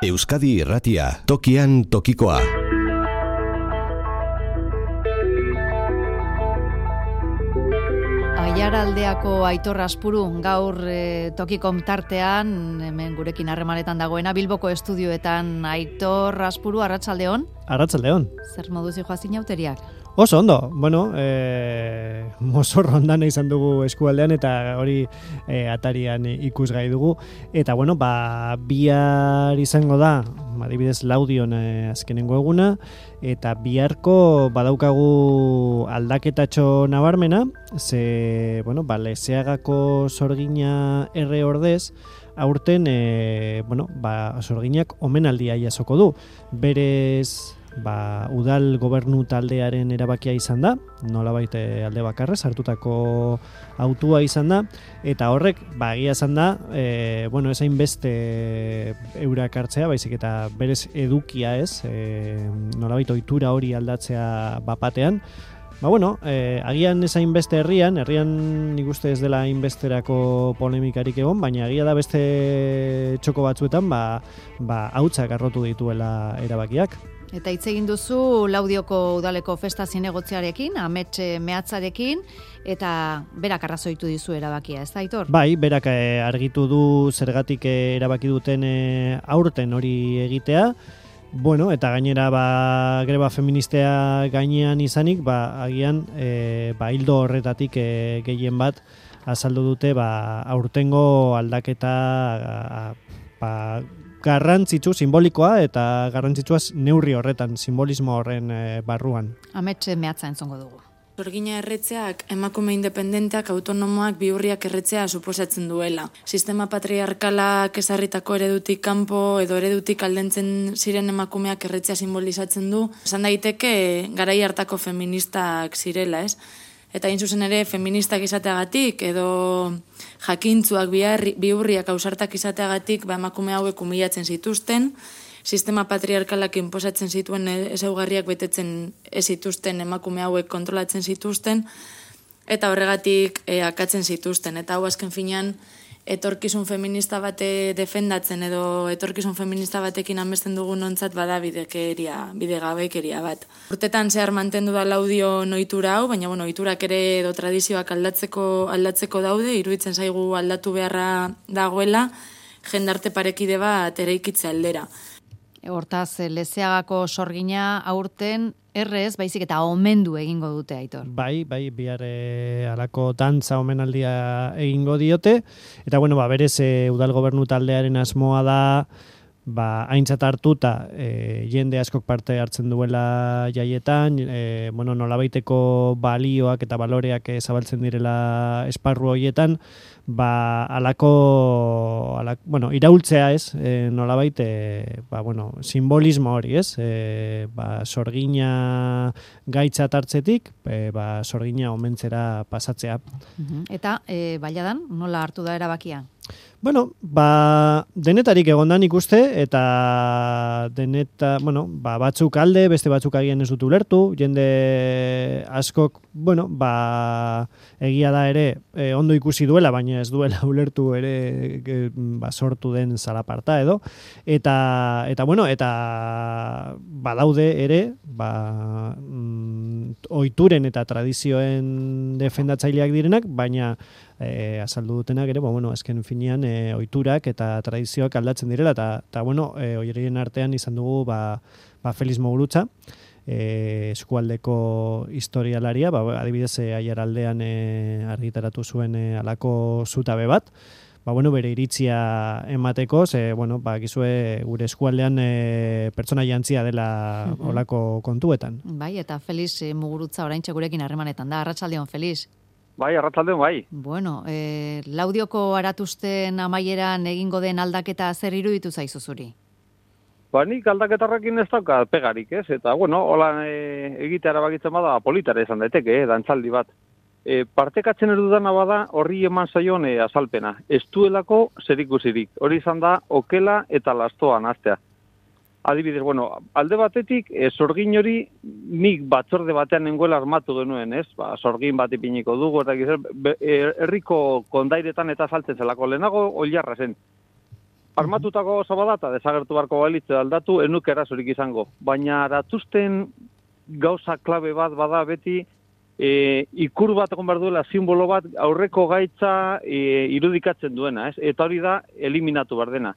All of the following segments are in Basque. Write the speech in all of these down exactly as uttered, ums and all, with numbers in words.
Euskadi Irratia, tokian tokikoa. Aiaraldeako Aitor Aspuru, gaur e, tokikom tartean, hemen gurekin harremanetan dagoena, Bilboko estudioetan. Aitor Aspuru, arratsaldeon. Arratsaldeon. Zer moduz joa zinauteriak? Oso ondo, bueno, e, mozorro ondana izan dugu eskualdean eta hori e, atarian ikusgai dugu. Eta bueno, ba, bihar izango da, adibidez Laudion e, azkenengo eguna, eta biharko badaukagu aldaketatxo nabarmena, ze, bueno, ba, Lezeagako sorgina erre ordez, aurten, e, bueno, ba, sorginak omenaldia jasoko du. Berez, ba, udal gobernu taldearen erabakia izan da, nolabait alde bakarrez hartutako autua izan da, eta horrek, ba, egia izan da, e, bueno, ezain beste eurak hartzea, baizik eta berez edukia ez, e, nolabait ohitura hori aldatzea bapatean. Ba, bueno, eh, agian ezain beste herrian, herrian nik uste ez dela hainbesterako polemikarik egon, baina agia da beste txoko batzuetan, ba, ba, hautsak arrotu dituela erabakiak. Eta hitz egin duzu Laudioko udaleko festa zinegotziarekin, amets mehatzarekin, eta berak arrazoitu dizu erabakia, ez da, Aitor? Bai, berak eh, argitu du zergatik eh, erabaki duten eh, aurten hori egitea. Bueno, eta gainera ba, greba feministea gainean izanik, ba, agian e, ba, hildo horretatik e, gehien bat azaldu dute ba, aurtengo aldaketa a, ba, garrantzitsu, simbolikoa eta garrantzitsuaz neurri horretan, simbolismo horren e, barruan. Amets mehatza entzongo dugu. Sorgina erretzeak emakume independenteak, autonomoak, bihurriak erretzea suposatzen duela. Sistema patriarkalak ezarritako eredutik kanpo edo eredutik aldentzen ziren emakumeak erretzea simbolizatzen du. Esan daiteke garai hartako feministak zirela, ez? Eta hain zuzen ere feministak izateagatik edo jakintzuak bihurriak ausartak izateagatik ba, emakume hauek humilatzen zituzten, sistema patriarkalak inposatzen zituen ezaugarriak betetzen ez zituzten emakume hauek kontrolatzen zituzten, eta horregatik e, akatzen zituzten. Eta hau azken finean etorkizun feminista bate defendatzen edo etorkizun feminista batekin amesten dugun ontzat bada bidekeria, bidegabekeria bat. Urtetan zehar mantendu da Laudio ohitura hau, baina bueno, ohiturak ere edo tradizioak aldatzeko aldatzeko daude, iruditzen zaigu aldatu beharra dagoela, jendarte parekide bat eraikitze aldera. Hortaz, Lezeagako sorgina aurten errez, baizik eta omendu egingo dute, Aitor. Bai, bai, bihar e, alako dantza omenaldia egingo diote, eta bueno, ba, berez e, udal gobernu taldearen asmoa da, ba, aintzat hartuta e, jende askok parte hartzen duela jaietan, e, bueno, nolabaiteko balioak eta baloreak e, zabaltzen direla esparru horietan, ba, alako, alak, bueno, iraultzea ez, e, nolabait, e, ba, bueno, simbolismo hori ez, e, ba, sorgina gaitzat hartzetik, e, ba, sorgina omentzera pasatzea. Eta, e, baiadan, nola hartu da erabakia? Bueno, ba, denetarik egondan ikuste, eta deneta, bueno, ba, batzuk alde, beste batzuk agian ez dut ulertu, jende askok, bueno, ba, egia da ere, e, ondo ikusi duela, baina ez duela ulertu ere e, ba, sortu den zalaparta edo, eta, eta bueno, eta badaude ere, ba, mm, ohituren eta tradizioen defendatzaileak direnak, baina E, azaldu dutenak ere, ba, bueno, azken finean e, ohiturak eta tradizioak aldatzen direla, eta, eta bueno, e, horien artean izan dugu ba, ba Feliz Mogurutza, e, eskualdeko historialaria, ba, adibidez e, Aiaraldean e, argitaratu zuen e, alako zutabe bat, ba, bueno, bere iritzia emateko, ze, bueno, ba, gizue gure eskualdean e, pertsona jantzia dela olako kontuetan. Bai, eta Feliz Mugurutza oraintxe gurekin harremanetan da, arratsaldeon Feliz. Bai, arratsaldeon bai. Bueno, eh, Laudioko aratuzten amaieran egingo den aldaketa zer iruditu zaizu zuri? Ba, nik aldaketarrekin ez dauka pegarik, ez? Eta, bueno, holan e, egitea erabakitzen bada politara izan daiteke, eh, dantzaldi bat. E, partekatzen edudana bada horri eman zaion e, azalpena. Ez duelako zerikusirik. Hori izan da okela eta lastoan hastea. Adibidez, bueno, alde batetik, e, sorgin hori nik batzorde batean nengoela armatu genuen, ez? Ba, sorgin bat ipiniko dugu, eta gizar, herriko kondairetan eta saltzen zelako lehenago oilarra zen. armatutako gauza bada eta desagertu barko balitze aldatu, enuk erasorik izango. Baina aratuzten gauza klabe bat bada beti, e, ikur bat egon behar duela, simbolo bat aurreko gaitza e, irudikatzen duena, ez? Eta hori da, eliminatu behar dena.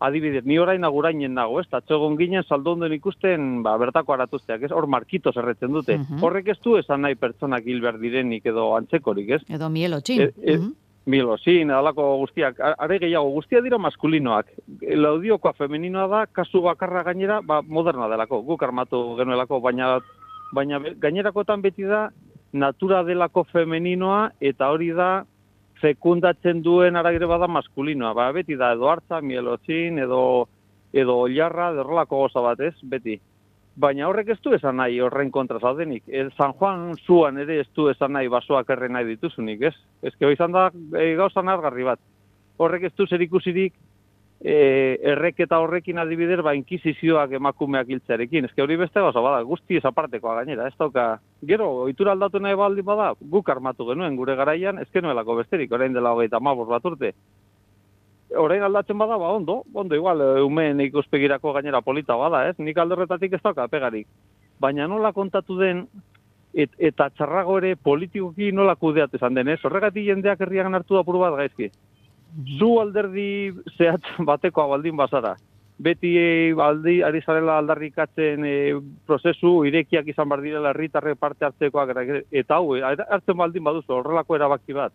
Adibidez, ni orain agurainen nago, ez? Tatxo egon ginen saldonden ikusten, ba, bertako aratuzteak, ez? Hor markitos erretzen dute. Uh-huh. Horrek ez du esan nahi pertsonak hil behar direnik edo antzekorik, ez? Edo mielotxin. E, e, uh-huh. Mielotxin, edalako guztiak, are gehiago, guztia dira maskulinoak. Laudiokoa femeninoa da, kasu bakarra gainera, ba, moderna delako, guk armatu genuelako, baina, baina gainerakotan beti da, natura delako femeninoa, eta hori da, fekundatzen duen aragire bada maskulinoa, ba, beti da, edo hartza, mielotxin, edo, edo oilarra, derrolako goza bat, ez, beti. Baina horrek ez du esan nahi horren kontra zaudenik. E, San Juan zuan ere ez du esan nahi basoak erre nahi dituzunik, ez? Ez que izan da e, gauza nargarri bat. Horrek ez du zer ikusirik e, erreketa horrekin adibider, ba, inkisizioak emakumeak hiltzearekin. Ez que hori beste gauza bada, guzti ezapartekoa gainera, ez dauka. Gero, ohitura aldatu nahi baldin bada, guk armatu genuen gure garaian, ez genuelako besterik, orain dela hogeita hamabost bat urte. Orain aldatzen bada, ba, ondo, ondo igual, umeen ikuspegirako gainera polita bada, ez? Nik aldorretatik ez dauka pegarik. Baina nola kontatu den, et, eta txarrago ere politikoki nola kudeat esan den, ez? Horregatik jendeak herriagan hartu da puru bat gaizki. Zu alderdi zehatz batekoa baldin bazara. Beti e, aldi, ari zarela aldarrikatzen e, prozesu irekiak izan bar direla herritarre parte hartzekoak, eta hau, hartzen baldin baduzu horrelako erabaki bat.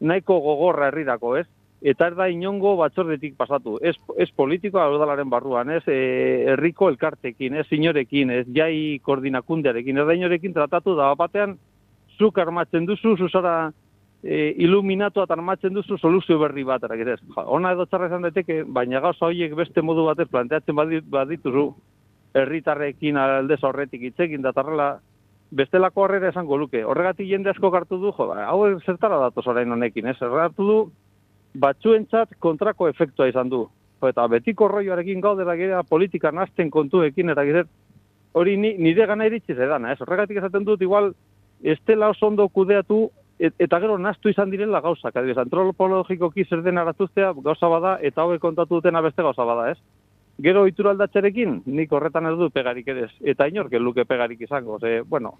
Nahiko gogorra herrirako, ez? Eta ez da inongo batzordetik pasatu. Ez, ez politikoa udalaren barruan, ez e, herriko elkartekin, ez inorekin, ez jai koordinakundearekin, ez da inorekin tratatu da batean zuk armatzen duzu, zuzara e, iluminatu eta armatzen duzu soluzio berri bat. Ja, ona edo txarra izan daiteke, baina gauza horiek beste modu batez planteatzen badituzu herritarrekin aldez horretik hitzekin datarrela bestelako horrera esango luke. Horregatik jende asko hartu du, jo, hau zertara datoz orain honekin, ez? Hartu du batzuentzat kontrako efektua izan du. Eta betiko rolloarekin gaudera gira politika nazten kontuekin, eta gira hori ni, nire gana iritsi zedana, ez? Horregatik esaten dut, igual, ez dela oso ondo kudeatu, et, eta gero naztu izan direla gauzak. Adibidez, antropologikoki zer den aratuztea gauza bada, eta hauek kontatu dutena beste gauza bada, ez? Gero ohitura aldatxarekin, nik horretan ez du pegarik ere ez. Eta inork luke pegarik izango, ze, bueno,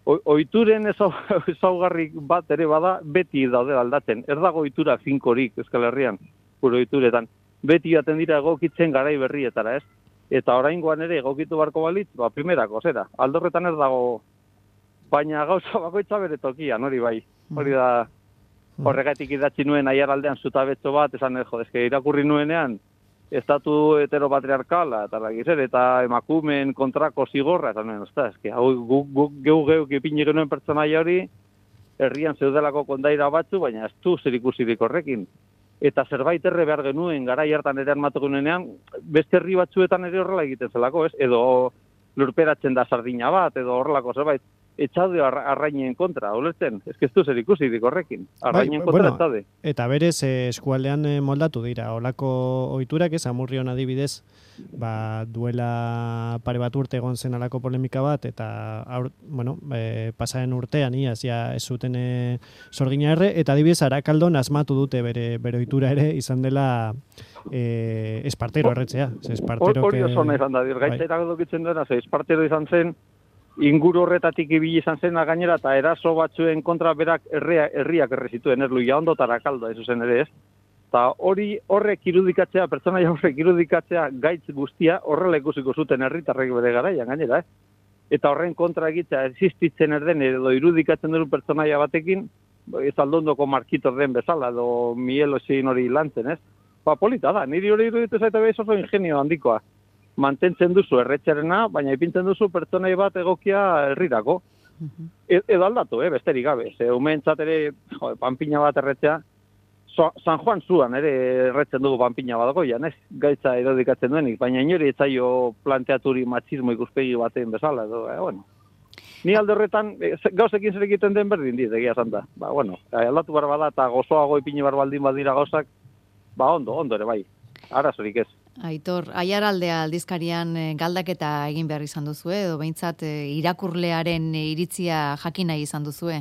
ohituren ezaugarri bat ere bada, beti daude aldatzen. Ez dago ohitura finkorik Euskal Herrian, gure ohituretan. Beti jaten dira egokitzen garai berrietara, ez? Eta oraingoan ere egokitu barko balitz, ba, primerako, zera. Aldorretan ez dago, baina gauza bakoitza bere tokian, hori bai. Hori da, horregatik idatzi nuen aiaraldean zutabetxo bat, esan, jo, eske irakurri nuenean, estatu heteropatriarkala, eta lagizer, eta emakumen kontrako zigorra, eta nuen, ozta, eski, hau guk gu, geu geu ipini genuen pertsonaia hori, herrian zeudelako kondaira batzu, baina ez du zer ikusirik horrekin. Eta zerbait erre behar genuen, garai hartan ere armatu genuenean, beste herri batzuetan ere horrela egiten zelako, ez? Edo lurperatzen da sardina bat, edo horrelako zerbait. Etxaude arrainen kontra, ulertzen? Ez que ez du zer ikusirik horrekin. Arrainen bai, kontra bueno, etxaude. Eta berez, eh, eskualdean eh, moldatu dira, olako ohiturak, ez, Amurrion adibidez, ba, duela pare bat urte egon zen alako polemika bat, eta aur, bueno, eh, pasaren urtean, iaz, ja, ez zuten eh, sorgina erre, eta adibidez, Arakaldon asmatu dute bere, bere ohitura ere, izan dela eh, espartero erretzea. Espartero hori oso nahi izan da, gaitza iragodokitzen duena, espartero izan zen, inguru horretatik ibili izan zen gainera eta eraso batzuen kontra berak herria, herriak erre zituen, ez luia ondo Arakaldo, ez zen ere ez. Eta hori horrek irudikatzea, pertsonaia horrek irudikatzea gaitz guztia horrela ikusiko zuten herritarrek bere garaian gainera, eh? Eta horren kontra egitea existitzen erden edo irudikatzen duen pertsonaia batekin, ez aldondoko markitor den bezala, edo mieloxin hori lantzen, ez? Ba, polita da, niri hori iruditu zaita behiz oso ingenio handikoa. Mantentzen duzu erretxerena, baina ipintzen duzu pertsonai bat egokia herrirako. Uh-huh. E, edo aldatu, eh, besterik gabe. Ze umeentzat ere, jo, panpina bat erretzea, so, San Juan zuan ere erretzen dugu panpina bat goian, ez? Gaitza irudikatzen duenik, baina inori etzaio planteaturi matxismo ikuspegi baten bezala, edo, eh, bueno. Ni alde horretan, e, gauzekin zer egiten den berdin dit, egia zanta. Ba, bueno, aldatu bar bada eta gozoago ipini bar baldin badira gauzak, ba, ondo, ondo ere bai. Arazorik ez. Aitor, Aiaraldea aldizkarian galdaketa egin behar izan duzue, edo behintzat irakurlearen iritzia jakin nahi izan duzue?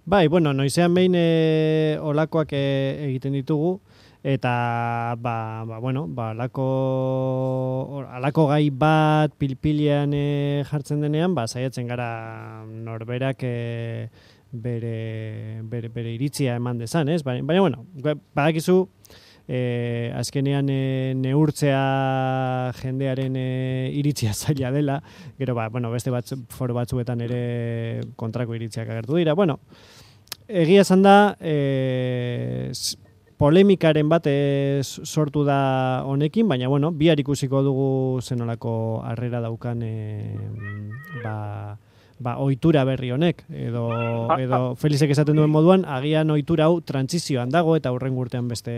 Bai, bueno, noizean behin e, olakoak e, egiten ditugu, eta ba, ba, bueno, ba, alako, alako gai bat pilpilean e, jartzen denean, ba, saiatzen gara norberak e, bere, bere, bere iritzia eman dezan, ez? Baina, baina bueno, badakizu, E, azkenean e, neurtzea jendearen e, iritzia zaila dela, gero ba, bueno, beste bat, foro batzuetan ere kontrako iritziak agertu dira. Bueno, egia esan da, e, polemikaren bat e, sortu da honekin, baina bueno, bihar ikusiko dugu zenolako harrera daukan e, ba, ba, ohitura berri honek, edo, edo Felizek esaten duen moduan, agian ohitura hau trantsizioan dago, eta hurrengo urtean beste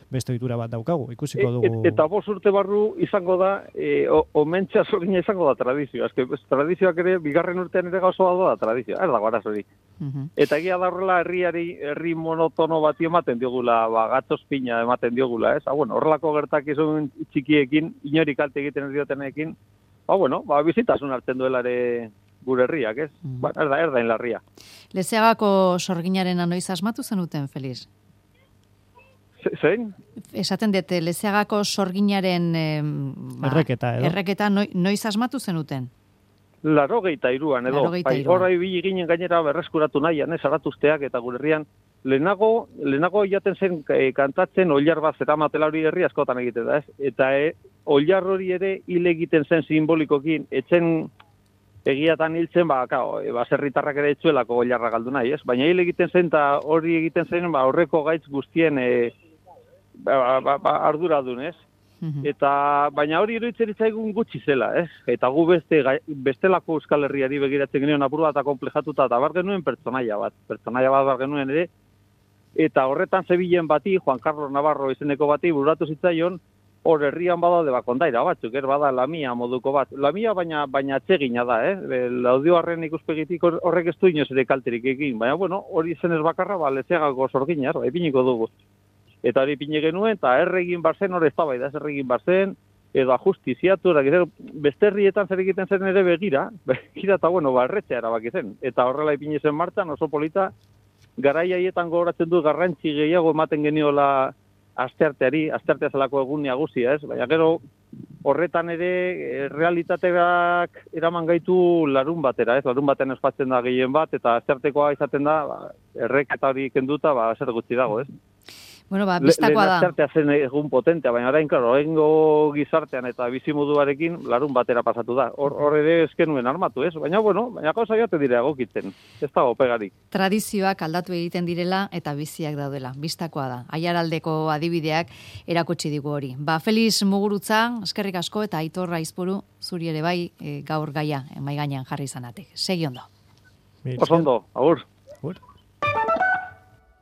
beste ohitura bat daukagu, ikusiko dugu. Et, eta bost urte barru izango da, e, omentxa zorgina izango da tradizioa. Ezke, tradizioak ere, bigarren urtean ere gauzo da tradizioa, ez dago arazorik. Uh-huh. Eta egia da horrela herriari, herri monotono bati ematen diogula, ba, gatzospina ematen diogula, ez? Ha, bueno, horrelako gertakizun txikiekin, inori kalte egiten ez diotenekin, ba, bueno, ba, bizitasun hartzen duela ere gure herriak, ez? Uh-huh. Ba, erda, erda inlarria. Lezeagako sorginaren anoiz asmatu zenuten, Feliz? Zein? Esaten dute, Lezeagako sorginaren eh, ba, erreketa, edo? Erreketa noi, noiz asmatu zenuten? Laro geita iruan, edo. Bai, horra ibili ginen gainera berreskuratu nahian, ez, aratuzteak eta gure herrian. Lehenago, lehenago jaten zen e, kantatzen oilar bat zeramatela hori herri askotan egiten da, ez? Eta e, oilar hori ere hile egiten zen simbolikokin, etzen egiatan hiltzen, ba, kao, e, baserritarrak ere etzuelako oilarra galdu nahi, ez? Baina hile egiten zen, eta hori egiten zen, ba, horreko gaitz guztien e, Ba, ba, ba, arduradun, ez? Uh-huh. Eta, baina hori iruditzen itzaigun gutxi zela, ez? Eta gu beste, bestelako Euskal Herriari begiratzen genuen apur bat komplejatuta, eta bar genuen pertsonaia bat, pertsonaia bat bar genuen ere, eta horretan zebilen bati, Juan Carlos Navarro izeneko bati, bururatu zitzaion, hor herrian badaude bakondaira batzuk, er bada Lamia moduko bat. Lamia baina baina atsegina da, eh? Laudioarren ikuspegitik horrek ez du inoz ere kalterik egin, baina bueno, hori zenez bakarra, ba, Lezeagako sorginar, ba, ipiniko dugu. Eta hori pine genuen, eta erregin barzen, hori ez da bai da, erregin barzen, edo ajustiziatu, beste herrietan zer egiten zen ere begira, begira eta bueno, barretzea erabaki zen. Eta horrela ipine zen martxan, oso polita, garai haietan gogoratzen du garrantzi gehiago ematen geniola astearteari, asteartea zelako egun nagusia, ez? Baina gero horretan ere realitateak eraman gaitu larun batera, ez? Larun baten espatzen da gehien bat, eta asteartekoa izaten da, ba, erreketa hori kenduta, ba, zer gutxi dago, ez? Bueno, ba, biztakoa da. Lehen asteartea zen egun potentea, baina orain, klaro, orengo gizartean eta bizimoduarekin larun batera pasatu da. Hor, hor ere eskenuen armatu, ez? Baina, bueno, baina gauza joate dire egokitzen. Ez da opegarik. Tradizioak aldatu egiten direla eta biziak daudela. Bistakoa da. Aiaraldeko adibideak erakutsi digu hori. Ba, Feliz Mugurutza, eskerrik asko, eta Aitor Aizpuru, zuri ere bai, e, gaur gaia, mai gainean jarri izanatek. Segi ondo. Oso ondo, agur. Agur.